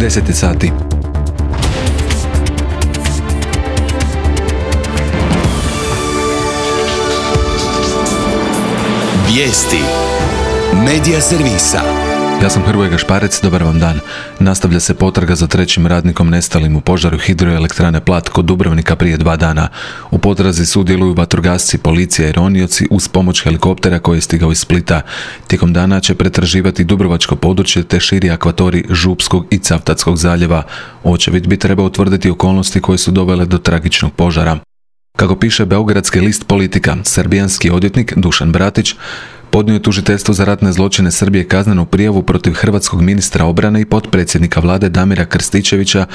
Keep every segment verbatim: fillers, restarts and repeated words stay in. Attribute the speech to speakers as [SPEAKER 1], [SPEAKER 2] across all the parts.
[SPEAKER 1] deset je sati.
[SPEAKER 2] Vijesti Medija servisa.
[SPEAKER 1] Ja sam Hrvoje Gašparec, dobar vam dan. Nastavlja se potraga za trećim radnikom nestalim u požaru hidroelektrane Plat kod Dubrovnika prije dva dana. U potrazi sudjeluju vatrogasci, policija i ronioci uz pomoć helikoptera koji je stigao iz Splita. Tijekom dana će pretraživati dubrovačko područje te širi akvatorij Župskog i Cavtatskog zaljeva. Očevid bi trebao utvrditi okolnosti koje su dovele do tragičnog požara. Kako piše beogradski list Politika, srbijanski odvjetnik Dušan Bratić podnio je tužiteljstvu za ratne zločine Srbije kaznenu prijavu protiv hrvatskog ministra obrane i potpredsjednika vlade Damira Krstičevića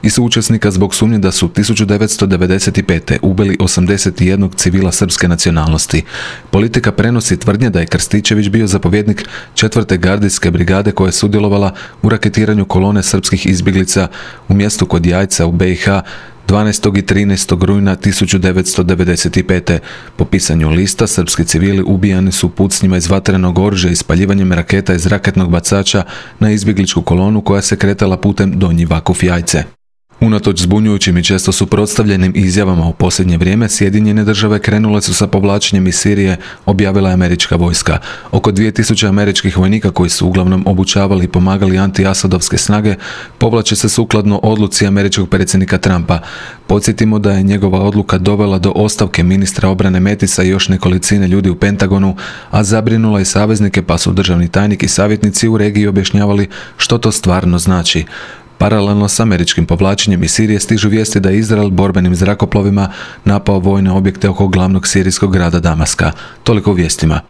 [SPEAKER 1] i suučesnika zbog sumnje da su tisuću devetsto devedeset pete. ubili osamdeset jednog civila srpske nacionalnosti. Politika prenosi tvrdnje da je Krstičević bio zapovjednik četvrte gardijske brigade koja je sudjelovala u raketiranju kolone srpskih izbjeglica u mjestu kod Jajca u be i ha dvanaestog i trinaestog rujna tisuću devetsto devedeset pete. Po pisanju lista, srpski civili ubijani su pucnjima iz vatrenog oružja i spaljivanjem raketa iz raketnog bacača na izbjegličku kolonu koja se kretala putem Donji Vakuf-Jajce. Unatoč zbunjujućim i često suprotstavljenim izjavama u posljednje vrijeme, Sjedinjene države krenule su sa povlačenjem iz Sirije, objavila je američka vojska. Oko dvije tisuće američkih vojnika koji su uglavnom obučavali i pomagali anti-asadovske snage povlače se sukladno odluci američkog predsjednika Trumpa. Podsjetimo da je njegova odluka dovela do ostavke ministra obrane Matisa i još nekolicine ljudi u Pentagonu, a zabrinula i saveznike, pa su državni tajnik i savjetnici u regiji objašnjavali što to stvarno znači. Paralelno s američkim povlačenjem iz Sirije stižu vijesti da je Izrael borbenim zrakoplovima napao vojne objekte oko glavnog sirijskog grada Damaska. Toliko u vijestima.